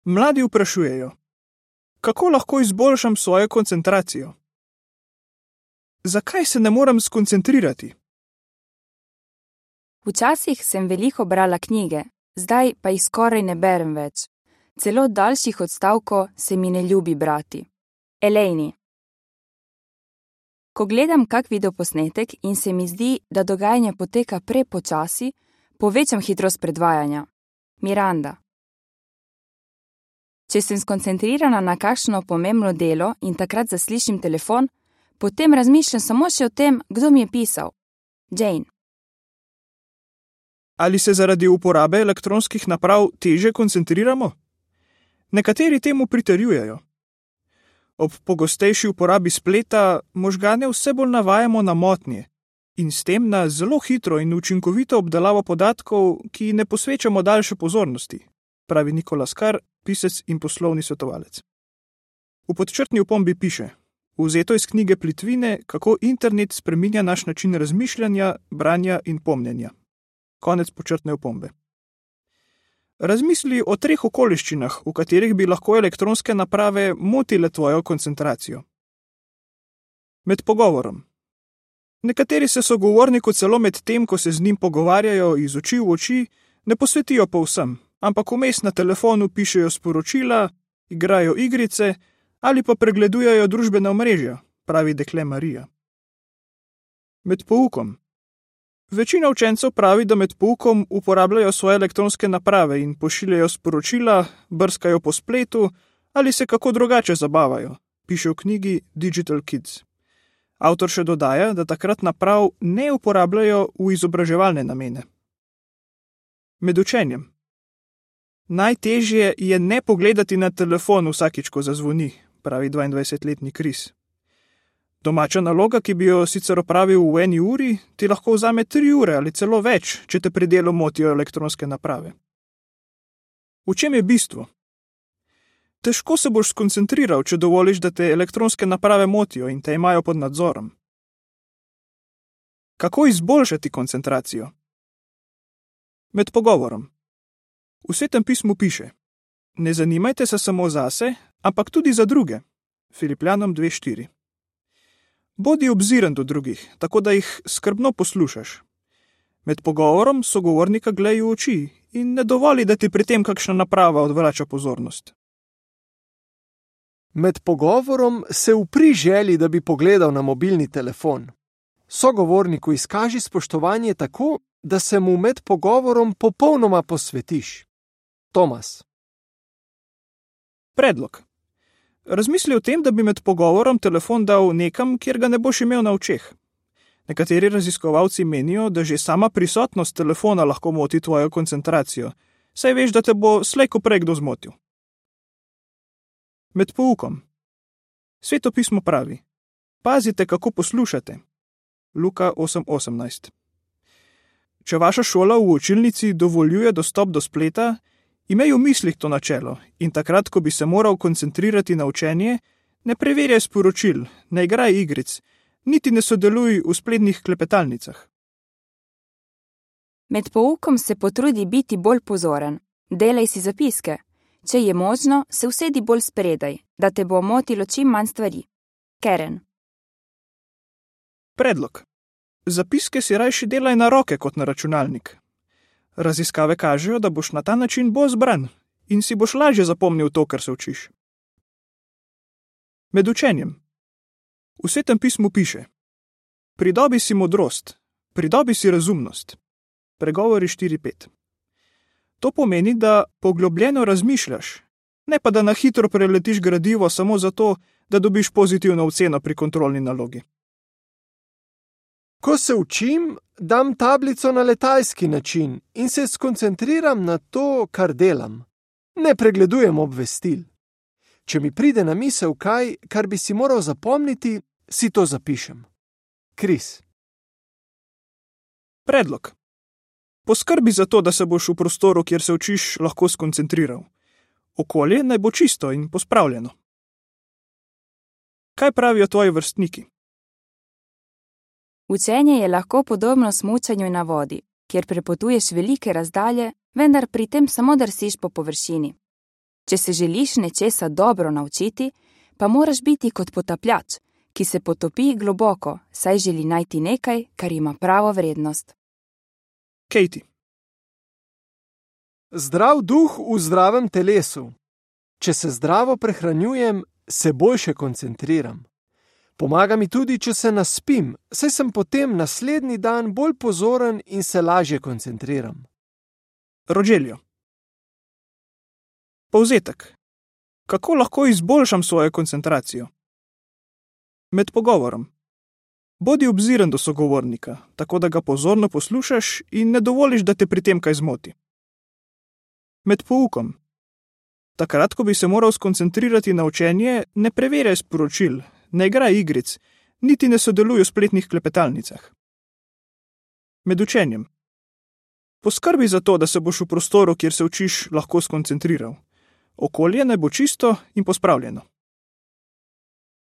Mladi vprašujejo: kako lahko izboljšam svojo koncentracijo? Zakaj se ne morem skoncentrirati? Včasih sem veliko brala knjige, zdaj pa jih skoraj ne berem več. Celo daljših odstavkov se mi ne ljubi brati. Elaine. Ko gledam kak videoposnetek in se mi zdi, da dogajanje poteka prepočasi, povečam hitrost predvajanja. Miranda. Če sem skoncentrirana na kakšno pomembno delo in takrat zaslišim telefon, potem razmišljam samo še o tem, kdo mi je pisal. Jane. Ali se zaradi uporabe elektronskih naprav teže koncentriramo? Nekateri temu pritrjujejo. Ob pogostejši uporabi spleta možgane vse bolj navajamo na motnje in s tem na zelo hitro in učinkovito obdelavo podatkov, ki ne posvečamo daljše pozornosti, pravi Nicholas Carr, pisec in poslovni svetovalec. V podčrtni opombi piše: vzeto iz knjige Plitvine, kako internet spreminja naš način razmišljanja, branja in pomnjenja. Konec podčrtne opombe. Razmisli o 3 okoliščinah, v katerih bi lahko elektronske naprave motile tvojo koncentracijo. Med pogovorom. Nekateri se sogovorniku celo med tem, ko se z njim pogovarjajo iz oči v oči, ne posvetijo povsem, ampak vmes na telefonu pišejo sporočila, igrajo igrice ali pa pregledujejo družbena omrežja, pravi dekle Marija. Med poukom. Večina učencev pravi, da med poukom uporabljajo svoje elektronske naprave in pošiljajo sporočila, brskajo po spletu ali se kako drugače zabavajo, piše v knjigi Digital Kids. Avtor še dodaja, da takrat naprav ne uporabljajo v izobraževalne namene. Med učenjem. Najtežje je ne pogledati na telefon vsakič, ko zazvoni, pravi 22-letni Chris. Domača naloga, ki bi jo sicer opravil v 1 uri, ti lahko vzame 3 ure ali celo več, če te pri delu motijo elektronske naprave. V čem je bistvo? Težko se boš skoncentriral, če dovoliš, da te elektronske naprave motijo in te imajo pod nadzorom. Kako izboljšati koncentracijo? Med pogovorom. V Svetem pismu piše: ne zanimajte se samo zase, ampak tudi za druge. Filipljanom 2:4. Bodi obziren do drugih, tako da jih skrbno poslušaš. Med pogovorom sogovornika glej v oči in ne dovoli, da ti pri tem kakšna naprava odvrača pozornost. Med pogovorom se upri želji, da bi pogledal na mobilni telefon. Sogovorniku izkaži spoštovanje tako, da se mu med pogovorom popolnoma posvetiš. Tomas. Predlog. Razmisli o tem, da bi med pogovorom telefon dal nekam, kjer ga ne boš imel na očeh. Nekateri raziskovalci menijo, da že sama prisotnost telefona lahko moti tvojo koncentracijo, saj veš, da te bo slej ko prej kdo zmotil. Med poukom. Sveto pismo pravi: pazite, kako poslušate. Luka 8:18. Če vaša šola v učilnici dovoljuje dostop do spleta, imej v mislih to načelo in takrat, ko bi se moral koncentrirati na učenje, ne preverjaj sporočil, ne igraj igric, niti ne sodeluj v spletnih klepetalnicah. Med poukom se potrudi biti bolj pozoren. Delaj si zapiske. Če je možno, se usedi bolj spredaj, da te bo motilo čim manj stvari. Karen. Predlog. Zapiske si rajši delaj na roke kot na računalnik. Raziskave kažejo, da boš na ta način bolj zbran in si boš lažje zapomnil to, kar se učiš. Med učenjem. V Svetem pismu piše: pridobi si modrost, pridobi si razumnost. Pregovori 4:5. To pomeni, da poglobljeno razmišljaš, ne pa da na hitro preletiš gradivo samo zato, da dobiš pozitivno oceno pri kontrolni nalogi. Ko se učim, dam tablico na letalski način in se skoncentriram na to, kar delam. Ne pregledujem obvestil. Če mi pride na misel kaj, kar bi si moral zapomniti, si to zapišem. Chris. Predlog. Poskrbi za to, da se boš v prostoru, kjer se učiš, lahko skoncentriral. Okolje naj bo čisto in pospravljeno. Kaj pravijo tvoji vrstniki? Učenje je lahko podobno smučanju na vodi, kjer prepotuješ velike razdalje, vendar pri tem samo drsiš po površini. Če se želiš nečesa dobro naučiti, pa moraš biti kot potapljač, ki se potopi globoko, saj želi najti nekaj, kar ima pravo vrednost. Katie. Zdrav duh v zdravem telesu. Če se zdravo prehranjujem, se boljše koncentriram. Pomaga mi tudi, če se naspim, saj sem potem naslednji dan bolj pozoren in se lažje koncentriram. Rogelio. Povzetek. Kako lahko izboljšam svojo koncentracijo? Med pogovorom. Bodi obziren do sogovornika, tako da ga pozorno poslušaš in ne dovoliš, da te pri tem kaj zmoti. Med poukom. Takrat, ko bi se moral skoncentrirati na učenje, ne preverjaj sporočil, ne igraj igric, niti ne sodeluj v spletnih klepetalnicah. Med učenjem. Poskrbi za to, da se boš v prostoru, kjer se učiš, lahko skoncentriral. Okolje naj bo čisto in pospravljeno.